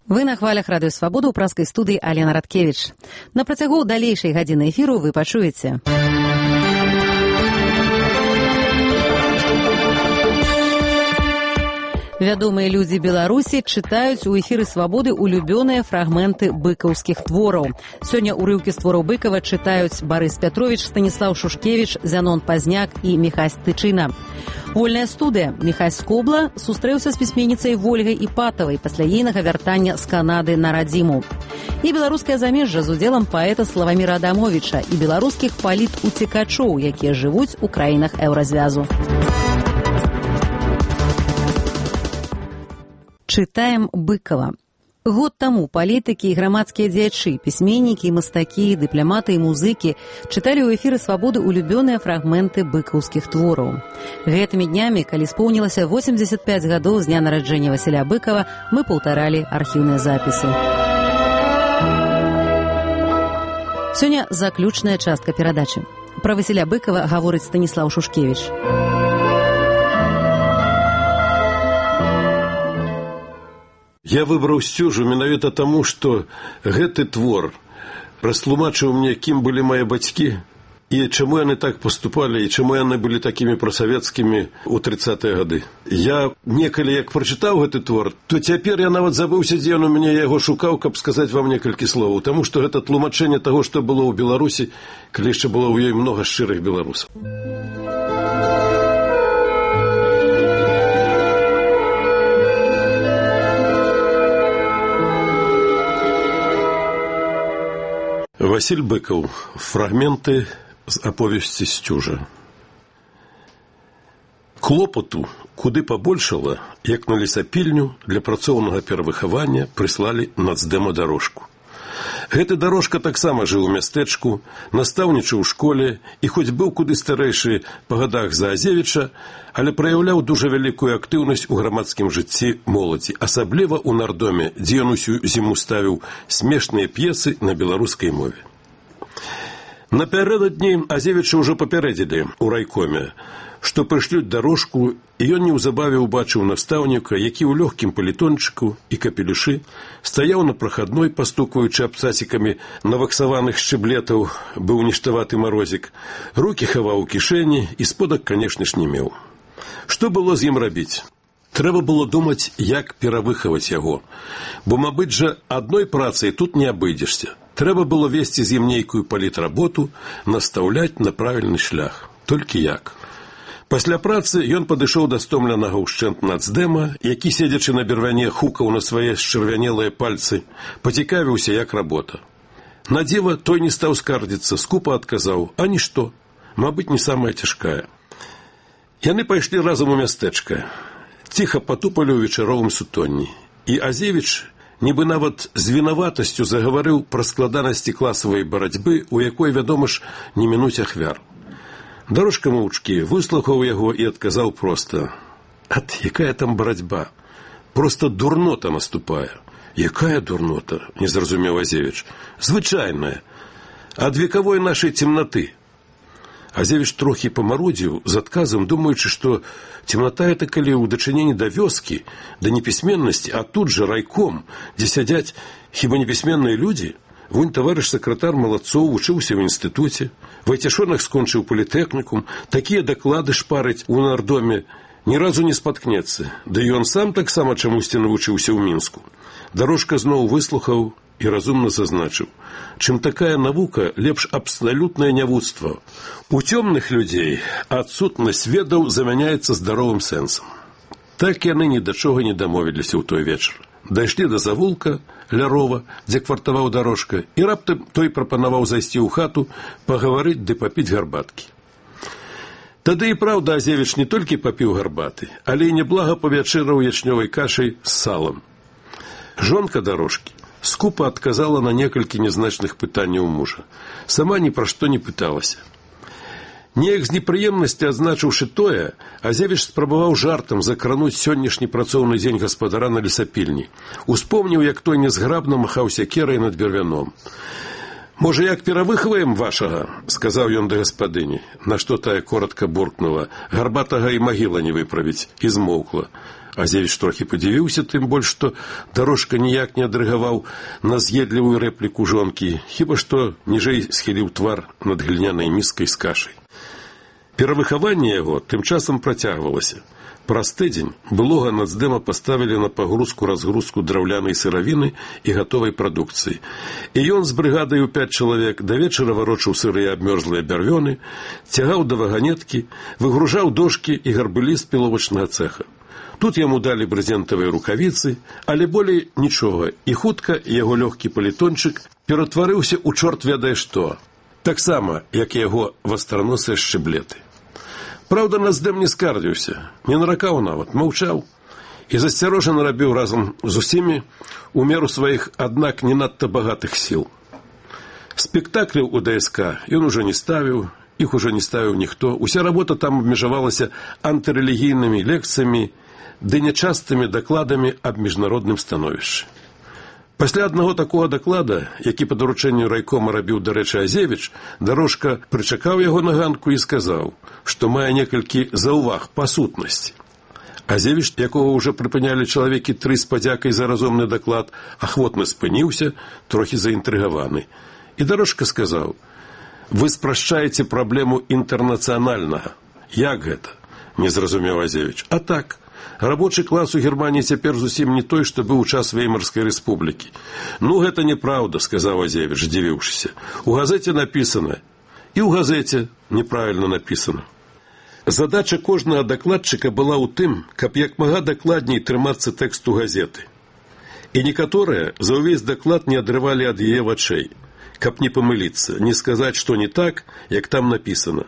Вы на хвалях Радыё Свабода ў праскай студыі Алена Радкевіч. На працягу далейшай гадзіны эфіру вы пачуеце. Вядомыя людзі Беларусі чытаюць у эфіры Свабоды улюбёныя фрагменты быкаўскіх твораў. Сёння урыўкі з твораў Быкава чытаюць Барыс Пятровіч, Станіслаў Шушкевіч, Зянон Пазняк і Міхась Тычына. Вольная студыя. Міхась Скобла сустрэўся з пісьменніцай Вольгай Іпатавай пасля ейнага вяртання з Канады на радзіму. І беларускае замежжа з удзелам паэта Славаміра Адамовіча і беларускіх палітуцікачоў, якія жывуць у краінах еўразвязу. Чытаем Быкава. Год таму палітыкі і грамадскія дзеячы, пісьменнікі, мастакі, дыпламаты і музыкі чыталі ў эфіры Свабоды улюбёныя фрагменты быкаўскіх твораў. Гэтымі днямі, калі споўнілася 85 гадоў з дня нараджэння Васіля Быкава, мы паўтаралі архіўныя запісы. Сёння заключная частка перадачы. Пра Васіля Быкава гаворыць Станіслаў Шушкевіч. Я выбраў сцюжу менавіта таму, што гэты твор растлумачыў мне, кім былі мае бацькі і чаму яны так паступалі, і чаму яны былі такімі прасавецкімі ў 30-е гады. Я некалі як прачытаў гэты твор, то цяпер я нават забыўся, дзе ён у мяне, я яго шукаў, каб сказаць вам некалькі словаў, таму што гэта тлумачэнне таго, што было ў Беларусі, калі яшчэ было ў ёй многа шчырых беларусаў. Васіль Быкаў. Фрагменты з аповесці «Сцюжа». Клопату куды пабольшала, як на лесапільню для працоўнага перавыхавання прыслалі нацдэма дарожку. Гэты дарожка таксама жыў у мястэчку, настаўнічаў у школе і хоць быў куды старэйшы па гадах за Азевіча, але праяўляў дужа вялікую актыўнасць у грамадскім жыцці моладзі, асабліва ў нардоме, дзе ён усю зіму ставіў смешныя п'есы на беларускай мове. Напярэдадні Азевіча ўжо папярэдзілі ў райкоме, што прышлюць дарожку, і ён неўзабаве ўбачыў настаўніка, які ў лёгкім палітончыку і капелюшы стаяў на прахадной, пастукваючы абцасікамі наваксаваных шчыблетаў, быў ніштаваты марозік, рукі хаваў у кішэні і сподак, канешне ж, не меў. Што было з ім рабіць? Трэба было думаць, як перавыхаваць яго, бо, мабыць жа, адной працай тут не абыдзешся. Трэба было весці з ім нейкую палітработу, настаўляць на правільны шлях. Толькі як? Пасля працы ён падышоў да стомленага ўшчэнт нацдэма, які, седзячы на бервяне, хукаў на свае счырвянелыя пальцы, пацікавіўся, як работа. На дзіва той не стаў скардзіцца, скупа адказаў: «А нішто, мабыць, не самая цяжкая». Яны пайшлі разам у мястэчка, ціха патупалі ў вечаровым сутонні, і Азевіч нібы нават з вінаватасцю загаварыў пра складанасці класавай барацьбы, у якой, вядома ж, не мінуць ахвяр. Дарожка моўчкі выслухаў яго і адказаў проста: «Ат, якая там барацьба? Проста дурнота наступае». «Якая дурнота?» – не зразумеў Азевіч. «Звычайная. Ад векавой нашай цемнаты». Азевіч трохі памарудзіў з адказам, думаючы, што цемната это калі ў дачыненні да вёскі, да непісьменнасці, а тут жа райком, дзе сядзяць хіба непісьменныя людзі. Вунь таварыш сакратар Малацоў вучыўся ў інстытуце, Вайцяшонак скончыў політэхнікум, такія даклады шпарыць у нардоме, ні разу не спаткнецца, да і ён сам таксама чамусьці навучыўся ў Мінску. Дарожка зноў выслухаў і разумна зазначыў: чым такая навука, лепш абсалютнае нявуцтва. У цёмных людзей адсутнасць ведаў замяняецца здаровым сэнсам. Так яны ні да чога не дамовіліся ў той вечар. Дайшлі да завулка ля рова, дзе квартаваў дарожка, і раптам той прапанаваў зайсці ў хату, пагаварыць ды папіць гарбаткі. Тады і праўда Азевіч не толькі папіў гарбаты, але і няблага павячэраў ячнёвай кашай з салам. Жонка дарожкі скупа адказала на некалькі нязначных пытанняў мужа. Сама ні пра што не пыталася. Неяк з непрыемнасці адзначыўшы тое, Азевіч спрабаваў жартам закрануць сённяшні працоўны дзень гаспадара на лесапільні. Успомніў, як той нязграбна махаў сякерай над бервяном. «Можа, як перавыхаваем вашага?» – сказаў ён да гаспадыні, на што тая коротка буркнула: «Гарбатага і магіла не выправіць», і змоўкла. Азевіч трохі падзівіўся, тым больш, што Дарожка ніяк не адрэагаваў на з'едлівую рэпліку жонкі, хіба што ніжэй схіліў твар над глінянай міскай з кашай. Перавыхаванне яго тым часам працягвалася. Праз тыдзень былога нацдэма паставілі на пагрузку-разгрузку драўлянай сыравіны і гатовай прадукцыі. І ён з брыгадай у 5 чалавек да вечара варочаў сырыя абмёрзлыя бярвёны, цягаў да ваганеткі, выгружаў дошкі і гарбылі з піловачнага цэха. Тут яму далі брызентавыя рукавіцы, але болей нічога, і хутка яго лёгкі палітончык ператварыўся ў чорт ведае што. Таксама, як і яго вастраносыя шчыблеты. Праўда, нацдэм не скардзіўся, не наракаў нават, маўчаў і засцярожана рабіў разам з усімі у меру сваіх, аднак не надта багатых сіл. Спектакляў у ДСК ён ужо не ставіў, іх ужо не ставіў ніхто, уся работа там абмежавалася антырэлігійнымі лекцыямі ды нячастымі дакладамі аб міжнародным становішчы. Пасля аднаго такога даклада, які па даручэнню райкома рабіў, дарэчы, Азевіч, Дарожка прычакаў яго на ганку і сказаў, што мае некалькі заўваг па сутнасці. Азевіч, якога ўжо прыпынялі чалавекі 3 з падзякай за разумны даклад, ахвотна спыніўся, трохі заінтрыгаваны. І Дарожка сказаў: «Вы спрашчаеце праблему інтэрнацыянальнага». «Як гэта?» – не зразумеў Азевіч. «А так. Рабочы клас у Германії цяпер зусім не той, што быў у час Веймарскай рэспублікі». «Ну, гэта неправда», – сказаў Азевіч, здзівіўшыся. «У газеце напісана». «І ў газеце неправільна напісана». Задача кожнага дакладчыка была ў тым, каб як мага дакладней трымацца тэксту газеты. І некаторыя за ўвесь даклад не адрывалі ад яе вачэй, каб не памыліцца, не сказаць, што не так, як там напісана.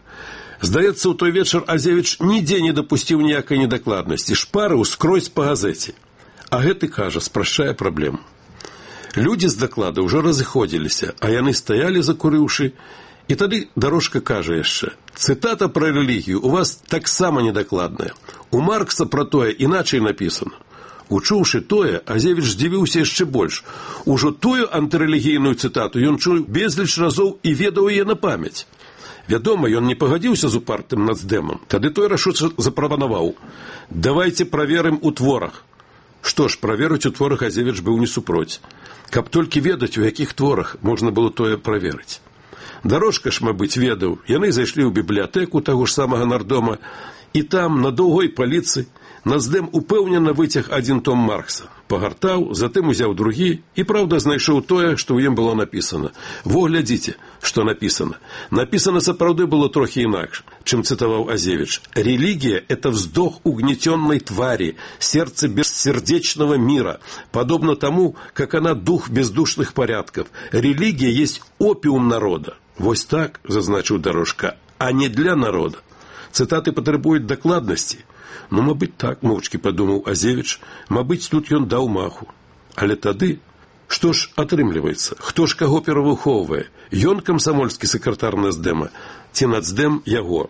Здаецца, у той вечар Азевіч нідзе не дапусціў ніякай недакладнасці, шпарыў скрозь па газеце. А гэты, кажа, спрашчае праблему. Людзі з даклада ўжо разыходзіліся, а яны стаялі, закурыўшы, і тады Дарожка кажа яшчэ: «Цытата пра рэлігію у вас таксама недакладная. У Маркса пра тое іначай напісана». Учуўшы тое, Азевіч здзівіўся яшчэ больш. Ужо тую антырэлігійную цытату ён чуў безліч разоў і ведаў яе на памяць. Вядома, ён не пагадзіўся з упартым нацдэмам. Тады той рашуча запрапанаваў: «Давайце праверым у творах». Што ж, праверыць у творах Азевіч быў не супроць. Каб толькі ведаць, у якіх творах можна было тое праверыць. Дарожка ж, мабыць, ведаў. Яны зайшлі ў бібліятэку таго ж самага нардома, і там, на доўгой паліцы, нацдэм упэўнена выцяг адзін том Маркса. Пагартаў, затым узяў другі і, праўда, знайшоў тое, што ў ім было напісана. Во, глядзіце, што напісана. Напісана сапраўды было трохі інакш, чым цытаваў Азевіч. «Религия – это вздох угнетенной твари, сердце бессердечного мира, подобно тому, как она дух бездушных порядков. Религия есть опиум народа». Вось так, зазначыў Дарожка, а не для народа. Цытаты патрабуюць дакладнасці. Ну, мабыць, так, моўчкі падумаў Азевіч, мабыць, тут ён даў маху. Але тады, што ж атрымліваецца? Хто ж каго перавыхоўвае? Ён камсамольскі сакратар нацдэма, ці нацдэм яго?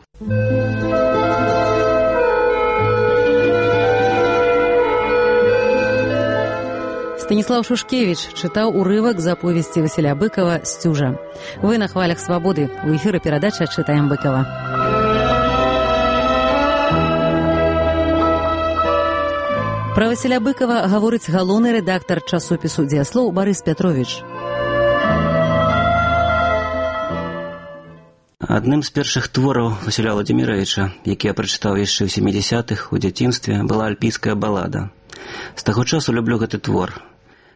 Станіслаў Шушкевіч чытаў урывак з аповесці Васіля Быкова «Сцюжа». Вы на хвалях свабоды. У эфіры перадача «Чытаем Быкова». Пра Васіля Быкова гаворыць галоўны рэдактар часопісу «Дзеяслоў» Барыс Пятровіч. Адным з першых твораў Васіля Владзіміровіча, які я прачытаў яшчэ ў 70-х, у дзяцінстве, была альпійская балада. З таго часу люблю гэты твор.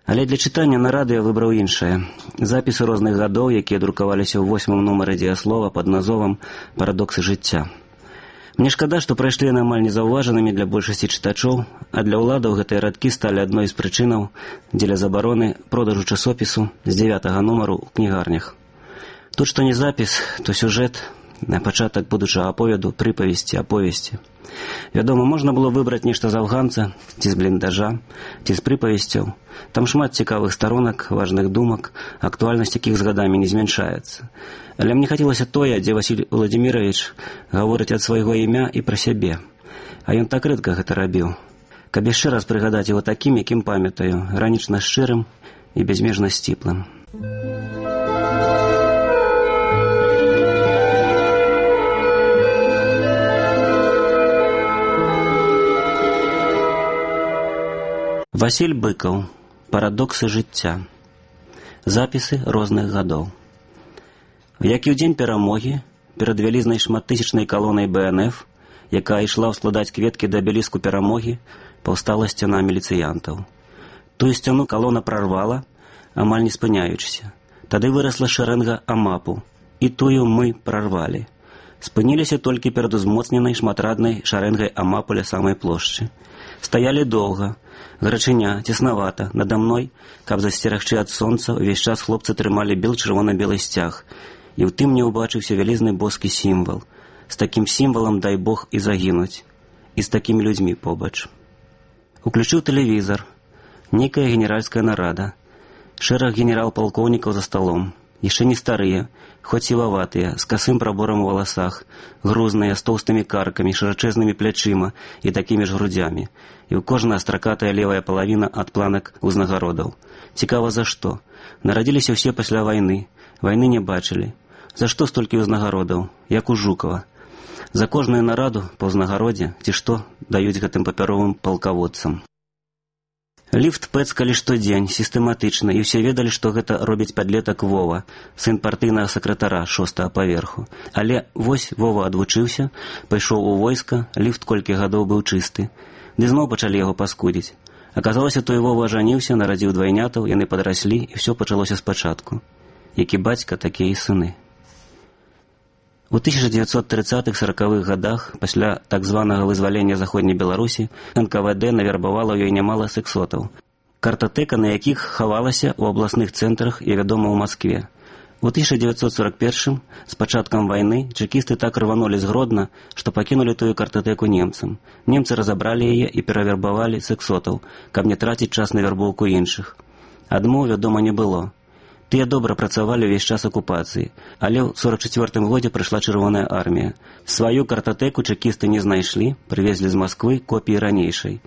Але для чытання на радыё выбраў іншае. Запісы розных гадоў, якія друкаваліся ў 8-м нумары «Дзеяслова» пад назовам «Парадоксы жыцця». Мне шкада, што прайшлі яны амаль незаўважанымі для большасці чытачоў, а для ўладаў гэтыя радкі сталі адной з прычынаў дзеля забароны продажу часопісу з 9-го нумару ў кнігарнях. Тут што не запіс, то сюжэт, на пачатак будучага аповеду, прыпавесці, аповесці. Вядома, можна было выбраць нешта з афганца, ці з бліндажа, ці з прыпавесцяў. Там шмат цікавых старонак, важных думак, актуальнасць якіх з гадамі не змяншаецца. Але мне хацелася тое, дзе Васіль Владзіміровіч гаворыць ад свайго імя і пра сябе. А ён так рэдка гэта рабіў. Каб яшчэ раз прыгадаць яго такім, якім памятаю, гранічна шчырым і бязмежна сціплым. Васіль Быкаў. Парадоксы жыцця. Запісы розных гадоў. Як і ў дзень перамогі, перад вялізнай шматтысячнай калонай БНФ, якая ішла ўскладаць кветкі да абеліску перамогі, паўстала сцяна міліцыянтаў. Тую сцяну калона прарвала, амаль не спыняючыся. Тады вырасла шэрэнга амапу, і тую мы прарвалі. Спыніліся толькі перад узмоцненай шматраднай шарэнгай амапу ля самай плошчы. Стаялі доўга, гарачыня, цеснавата, надо мной, каб засцерагчы ад сонца, увесь час хлопцы трымалі бел-чырвона-белы сцяг, і ў тым мне ўбачыўся вялізны боскі сімвал. З такім сімвалам, дай Бог, і загінуць. І з такімі людзьмі побач. Уключыў тэлевізар. Нейкая генеральская нарада. Шэраг генерал-палкоўнікаў за сталом. Яшчэ не старыя, хоць сілаватыя, з касым праборам у валасах, грузныя, з тоўстымі каркамі, шырачэзнымі плячыма і такімі ж грудзямі. І ў кожная стракатая левая палавіна ад планак узнагародаў. Цікава, за што? Нарадзіліся ўсе пасля вайны. Вайны не бачылі. За што столькі ўзнагародаў? Як у Жукава. За кожную нараду па ўзнагародзе, ці што, даюць гэтым папяровым палкаводцам. Ліфт пэцкалі штодзень, сістэматычна, і ўсе ведалі, што гэта робіць падлетак Вова, сын партыйнага сакратара 6-го паверху. Але вось Вова адвучыўся, пайшоў у войска, ліфт колькі гадоў быў чысты. Ды зноў пачалі яго паскудзіць. Аказалася, той Вова ажаніўся, нарадзіў двайнятаў, яны падраслі, і ўсё пачалося спачатку. Які бацька, такія і сыны. У 1930-40-х гадах, пасля так званага вызвалення Заходняй Беларусі, НКВД навербавала ў ёй нямала сексотаў. Картатэка, на якіх хавалася ў абласных цэнтрах і вядома ў Маскве. У 1941-м, з пачаткам вайны, чэкісты так рванулі з Гродна, што пакінулі тую картатэку немцам. Немцы разабралі яе і перавербавалі сексотаў, каб не траціць час на вярбоўку іншых. Адмоў, вядома, не было. Тыя добра працавалі ўвесь час акупацыі, але ў 44-м годзе прыйшла Чырвоная армія. Сваю картатэку чэкісты не знайшлі, прывезлі з Масквы копіі ранейшай.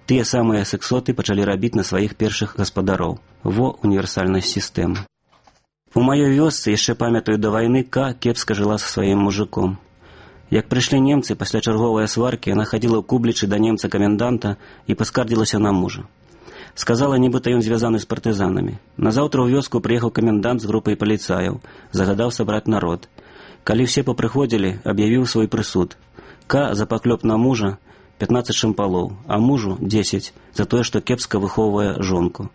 Тыя самыя сексоты пачалі рабіць на сваіх першых гаспадароў. Во універсальнасць сістэмы. У маёй вёсцы, яшчэ памятаю да вайны, кепска жыла са сваім мужиком. Як прыйшлі немцы, пасля чарговай сваркі, яна хадзіла ў кублічы да немца-каменданта і паскардзілася на мужа. Сказала, нібыта ён звязаны з партызанамі. Назаўтра ў вёску прыехаў камендант з групай паліцаяў, загадаў сабраць народ. Калі ўсе папрыходзілі, аб'явіў свой прысуд. За паклёп на мужа 15 шампалоў, а мужу 10 за тое, што кепска выхоўвае жонку.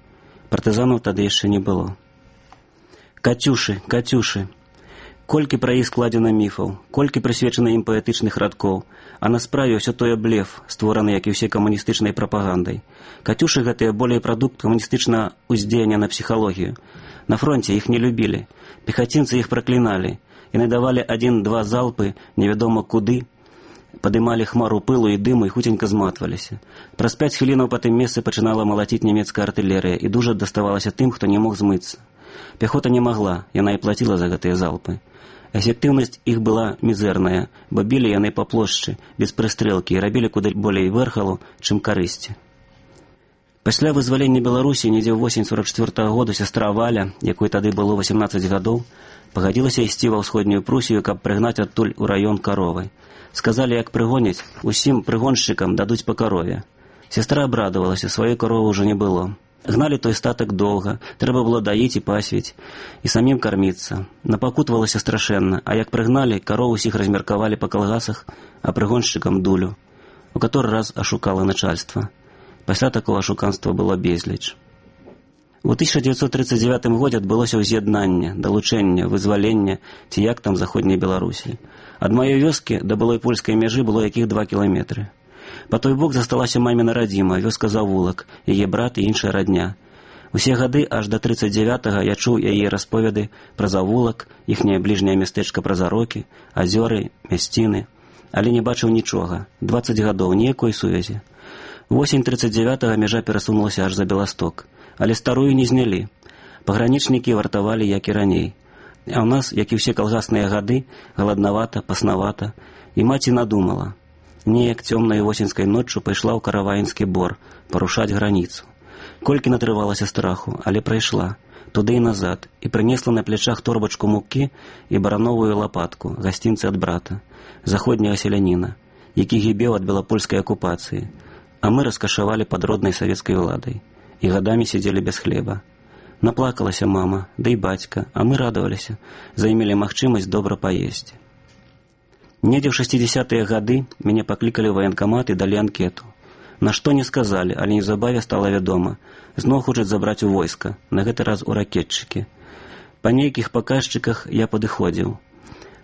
Партызанаў тады яшчэ не было. Кацюшы, Кацюшы. Колькі пра іх складзена міфаў, колькі прысвечана ім паэтычных радкоў, а на справе ўсё тое блеф, створаны, як і ўсе камуністычнай прапагандай. Кацюшы гэтыя болей прадукт камуністычнага ўздзеяння на псіхалогію. На фронце іх не любілі, пехацінцы іх пракліналі, яны давалі 1-2 залпы, невядома куды, падымалі хмару пылу і дыму і хуценька зматваліся. Праз 5 хвілінаў па тым месцы пачынала малаціць нямецкая артылерыя, і дужа даставалася тым, хто не мог змыцца. Пяхота не магла, яна і плаціла за гэтыя залпы. Эфектыўнасць іх была мізэрная, бо білі яны па плошчы, без прыстрэлкі, і рабілі куды болей вэрхалу, чым карысці. Пасля вызвалення Беларусі, недзе ў восень 44-го года, сястра Валя, якой тады было 18 гадоў, пагадзілася ісці ва ўсходнюю Прусію, каб прыгнаць адтуль у раён каровы. Сказалі, як прыгоняць, усім прыгоншчыкам дадуць па карове. Сястра абрадавалася, сваёй каровы ўжо не было. Гналі той статак доўга, трэба было даіць і пасвіць, і самім карміцца. Напакутвалася страшэнна, а як прыгналі, кароў усіх размеркавалі па калгасах, а прыгоншчыкам дулю, у каторы раз ашукала начальства. Пасля такого ашуканства было безліч. У 1939 годзе адбылося ўз'яднанне, далучэнне, вызваленне, ці як там Заходняй Беларусі. Ад маёй вёскі да былой польскай мяжы было якіх 2 кіламетры. Па той бок засталася маміна радзіма, вёска Завулак, яе брат і іншая радня. Усе гады, аж да 39-го, я чуў яе расповеды пра Завулак, іхняе бліжняе мястэчка пра Зарокі, азёры, мясціны, але не бачыў нічога. 20 гадоў, ніякой сувязі. Восень 39-го мяжа перасунулася аж за Беласток, але старую не знялі. Пагранічнікі вартавалі, як і раней. А ў нас, як і ўсе калгасныя гады, галаднавата, паснавата, і маці надумала. Неяк цёмнай восеньскай ноччу пайшла ў Караваінскі бор парушаць граніцу. Колькі натрывалася страху, але прайшла, туды і назад, і прынесла на плячах торбачку мукі і барановую лапатку, гасцінцы ад брата, заходняга селяніна, які гібеў ад белапольскай акупацыі, а мы раскашавалі пад роднай савецкай уладай. і гадамі сидзелі без хлеба. Наплакалася мама, да і бацька, а мы радаваліся, займелі магчымасць добра паесці. Недзе ў 60-е гады мяне паклікалі ў ваенкамат і далі анкету. На што не сказалі, але неўзабаве стала вядома. Зноў хочуць забраць у войска, на гэты раз у ракетчыкі. Па нейкіх паказчыках я падыходзіў.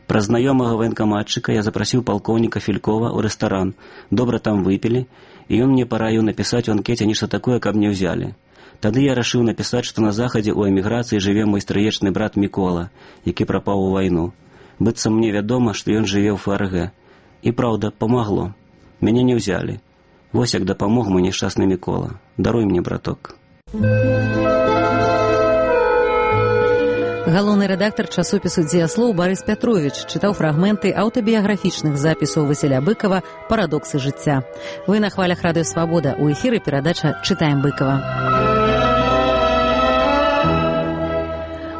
Праз знаёмага ваенкаматчыка я запрасіў палкоўніка Фелькова ў рэстаран. Добра там выпілі, і ён мне параіў напісаць у анкеце нешта такое, каб не ўзялі. Тады я рашыў напісаць, што на захадзе ў эміграцыі жыве мой стрыечны брат Мікола, які прапаў у вайну. Быццам мне вядома, што ён жыве ў ФРГ. І праўда, памагло. Мяне не ўзялі. Вось як дапамог мой няшчасны Мікола. Даруй мне, браток. Галоўны рэдактар часопісу «Дзеяслоў» Барыс Пятровіч чытаў фрагменты аўтабіяграфічных запісаў Васіля Быкава «Парадоксы жыцця». Вы на хвалях Радыё Свабода. У эфіры перадача «Чытаем Быкава».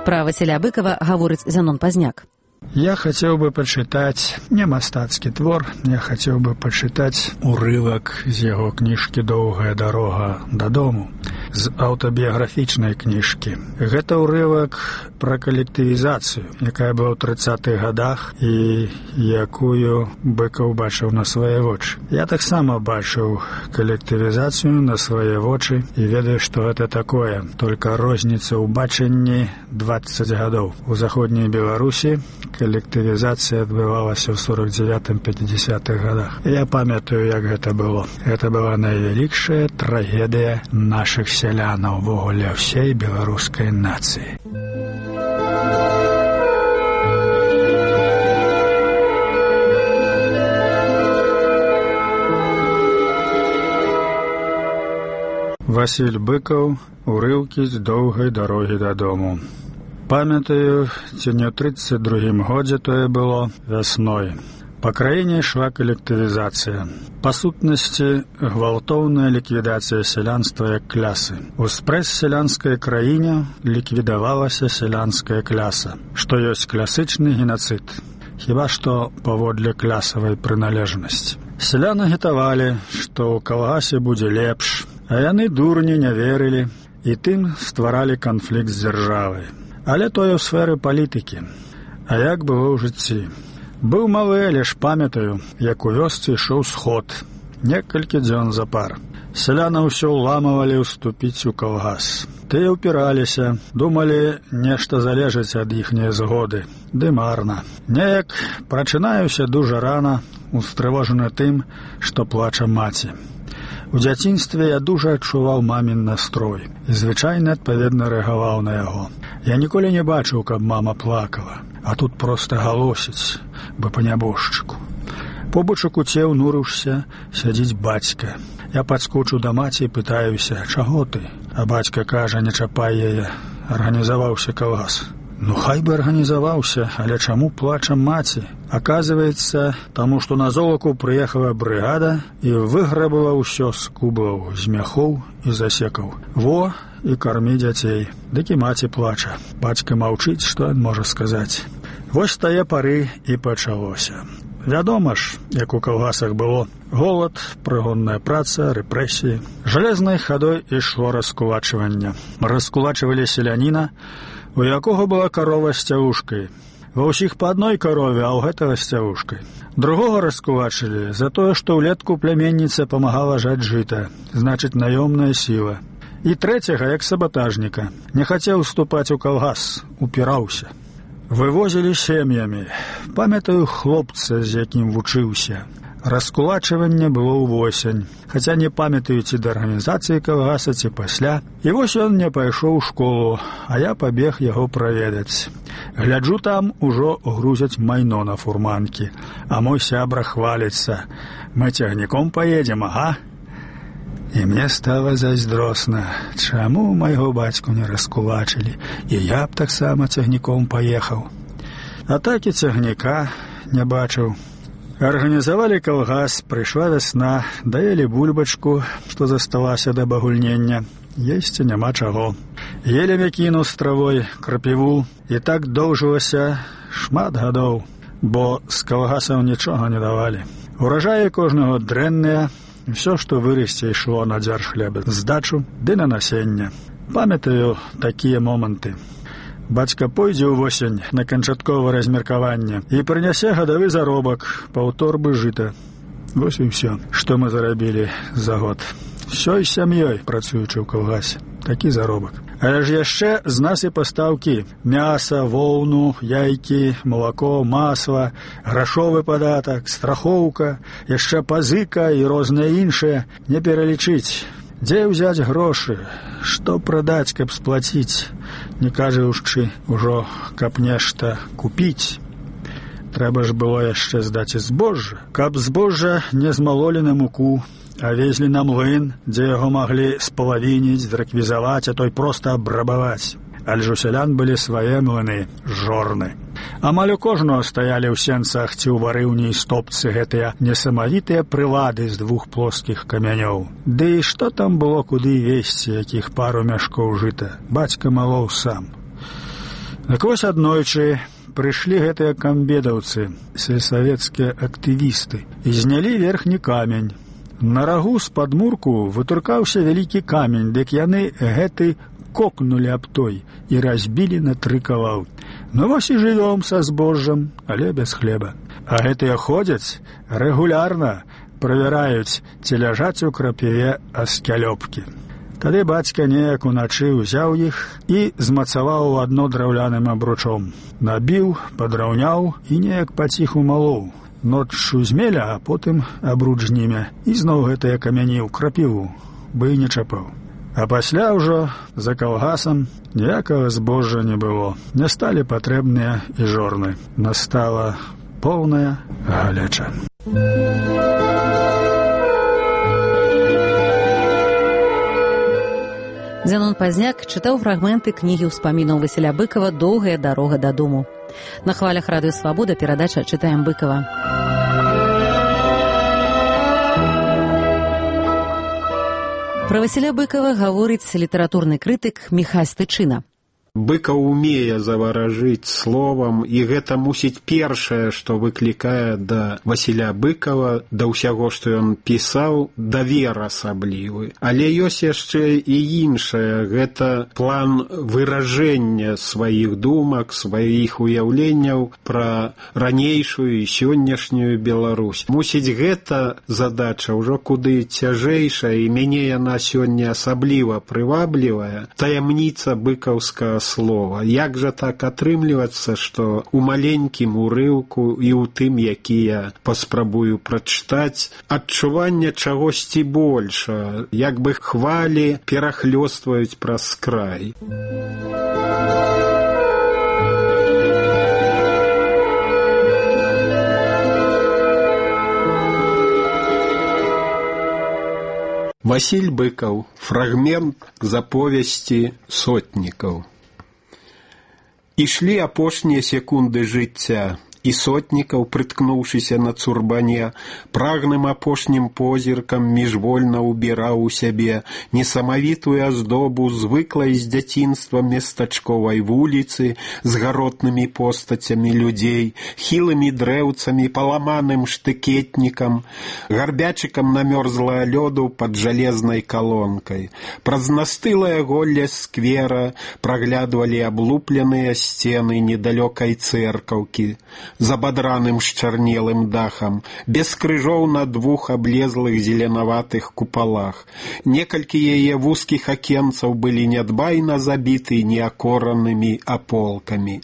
Пра Васіля Быкава гаворыць Зянон Пазняк. Я хотел бы почитать не мастацкі твор, я хотел бы почитать урывак з яго кніжкі «Доўгая дарога дадому», з аўтабіяграфічнай кніжкі. Гэта ўрывак пра калектывізацыю, якая была ў 30-х гадах і якую Быкаў бачыў на свае вочы. Я таксама бачыў калектывізацыю на свае вочы і ведаю, што гэта такое. Только розніца ў бачанні 20 гадоў. У заходняй Беларусі калектывізацыя адбывалася ў 49-50-х гадах. Я памятаю, як гэта было. Гэта была найвялікшая трагедыя нашых сялянаў, увогуле ўсей беларускай нацыі. Васіль Быкаў, урыўкі з «Доўгай дарогі дадому». Памятаю, ці не ў 32-м годзе тое было вясной. Па краіне ішла калектывізацыя. Па сутнасці, гвалтоўная ліквідацыя сялянства як клясы. У спрэс-сялянскай краіне ліквідавалася сялянская кляса, што ёсць класычны геноцид. Хіба што паводле клясавай прыналежнасці. Сяляны агітавалі, што ў калгасе будзе лепш, а яны дурні не верылі і тым стваралі канфлікт з дзяржавай. Але тое ў сферы палітыкі. А як было ў жыцці? Быў малы, але ж памятаю, як у вёсцы ішоў сход. Некалькі дзён запар. Сяляны ўсё ўламавалі ўступіць у калгас. Тыя ўпіраліся, думалі, нешта залежыць ад іхняй згоды. Ды марна. Неяк прачынаюся дужа рана, устрывожаны тым, што плача маці. У дзяцінстве я дужа адчуваў мамін настрой і звычайна адпаведна рэагаваў на яго. Я ніколі не бачыў, каб мама плакала, а тут проста галосіць, бы па нябожчыку. Побач у куце ўнурыўся, сядзіць бацька. Я падскочу да маці і пытаюся, чаго ты? А бацька кажа, не чапай яе, арганізаваўся калгас. Ну, хай бы арганізаваўся, але чаму плача маці? Аказваецца, таму што на золаку прыехала брыгада і выграбала ўсё з кублаў, з мяхоў і засекаў. Во, і кармі дзяцей. Дык і маці плача. Бацька маўчыць, што ён можа сказаць. Вось тае пары і пачалося. Вядома ж, як у калгасах было, голад, прыгонная праца, рэпрэсіі. Жалезнай хадой ішло раскулачванне. Раскулачвалі селяніна, у якога была карова з цявушкай. Ва ўсіх па адной карове, а ў гэтага з цявушкай. Другога раскулачылі за тое, што ўлетку пляменніца памагала жаць жыта, значыць, наёмная сіла. І трэцяга, як сабатажніка, не хацеў уступаць у калгас, упіраўся. Вывозілі сем'ямі. Памятаю хлопца, з якім вучыўся. Раскулачванне было ўвосень, хаця не памятаю, ці да арганізацыі калгаса, ці пасля. І вось ён не пайшоў у школу, а я пабег яго праведаць. Гляджу, там ужо грузяць майно на фурманкі, а мой сябра хваліцца. Мы цягніком паедзем, ага? І мне стала зайздросна, чаму майго бацьку не раскулачылі, і я б таксама цягніком паехаў. А так і цягніка не бачыў. Арганізавалі калгас, прыйшла вясна, даелі бульбачку, што засталася да багульнення. Есці няма чаго. Елі мякіну з травой, крапіву, і так доўжылася шмат гадоў, бо з калгасаў нічога не давалі. Уражаі кожнага дрэнныя, Все, што вырасце, ішло на дзяржхлеб, здачу ды на насенне. Памятаю такія моманты. Бацька пойдзе ўвосень на канчатковае размеркаванне і прынясе гадавы заробак, паўторбы жыта. Вось і ўсё, што мы зарабілі за год. Всёй сям'ёй працуючы ў калгасе. Такі заробак. Але ж яшчэ з нас і пастаўкі. Мяса, воўну, яйкі, малако, масла, грашовы падатак, страхоўка, яшчэ пазыка і розныя іншыя. Не пералічыць. Дзе ўзяць грошы? Што прадаць, каб сплаціць? Не кажучы ўжо, каб нешта купіць. Трэба ж было яшчэ здаць і збожжа. Каб збожжа не змалолі на муку, а везлі на млын, дзе яго маглі спалавініць, зрэквізаваць, а той проста абрабаваць. Але ж у сялян былі свае млыны, жорны. Амаль у кожнага стаялі ў сенцах ці ў варыўні і стопцы гэтыя несамавітыя прылады з 2 плоскіх камянёў. Ды і што там было куды везці, якіх пару мяшкоў жыта? Бацька малоў сам. Так вось аднойчы прыйшлі гэтыя камбедаўцы, сельсавецкія актывісты, і знялі верхні камень. На рагу з падмурку вытуркаўся вялікі камень, дык яны гэты кокнулі аб той і разбілі на 3 кавалкі. Ну вось і жывём са збожжам, але без хлеба. А гэтыя ходзяць рэгулярна, правяраюць, ці ляжаць у крапіве аскялёпкі. Тады бацька неяк уначы ўзяў іх і змацаваў адно драўляным абручом. Набіў, падраўняў і неяк паціху малоў. Ноччу змеля, а потым абруч зніме. І зноў гэтыя камяні ў крапіву, бы і не чапаў. А пасля ўжо за калгасам ніякага збожжа не было. Не сталі патрэбныя і жорны. Настала поўная галеча. Зянон Пазняк чытаў фрагменты кнігі ўспамінаў Васіля Быкава «Доўгая дарога дадому». На хвалях радыё «Свабода» перадача «Чытаем Быкава». Пра Васіля Быкава гаворыць літаратурны крытык Міхась Тычына. Быкаў умее заваражыць словам, і гэта мусіць першае, што выклікае да Васіля Быкава, да ўсяго, што ён пісаў, давер асаблівы. Але ёсць яшчэ і іншае, гэта план выражэння сваіх думак, сваіх уяўленняў пра ранейшую і сённяшнюю Беларусь. Мусіць, гэта задача ўжо куды цяжэйшая, і мяне яна сёння асабліва прываблівая, таямніца быкаўскага слова. Як жа так атрымлівацца, што ў маленькім урыўку і ў тым, які я паспрабую прачытаць, адчуванне чагосьці больша, як бы хвалі перахлёстваюць праз край. Васіль Быкаў. Фрагмент з аповесці сотнікаў. Ішлі апошнія секунды жыцця, і сотнікаў, прыткнуўшыся на цурбане, прагным апошнім позіркам міжвольна ўбіраў у сябе несамавітую аздобу звыклай з дзяцінства местачковай вуліцы з гаротнымі постацямі людзей, хілымі дрэўцамі, паламаным штыкетнікам, гарбячыкам намёрзлага лёду пад жалезнай калонкай. Праз настылае голле сквера праглядвалі аблупленыя сцены недалёкай цэркаўкі, з абадраным счарнелым дахам, без крыжоў на 2 аблезлых зеленаватых купалах. Некалькі яе вузкіх акенцаў былі нядбайна забіты неакоранымі аполкамі.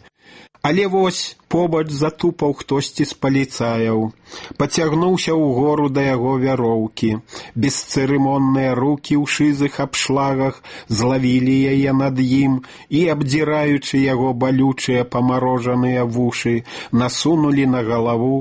Але вось побач затупаў хтосьці з паліцаяў, пацягнуўся ўгору да яго вяроўкі. Бесцырымонныя рукі ў шызых абшлагах злавілі яе над ім і, абдзіраючы яго балючыя памарожаныя вушы, насунулі на галаву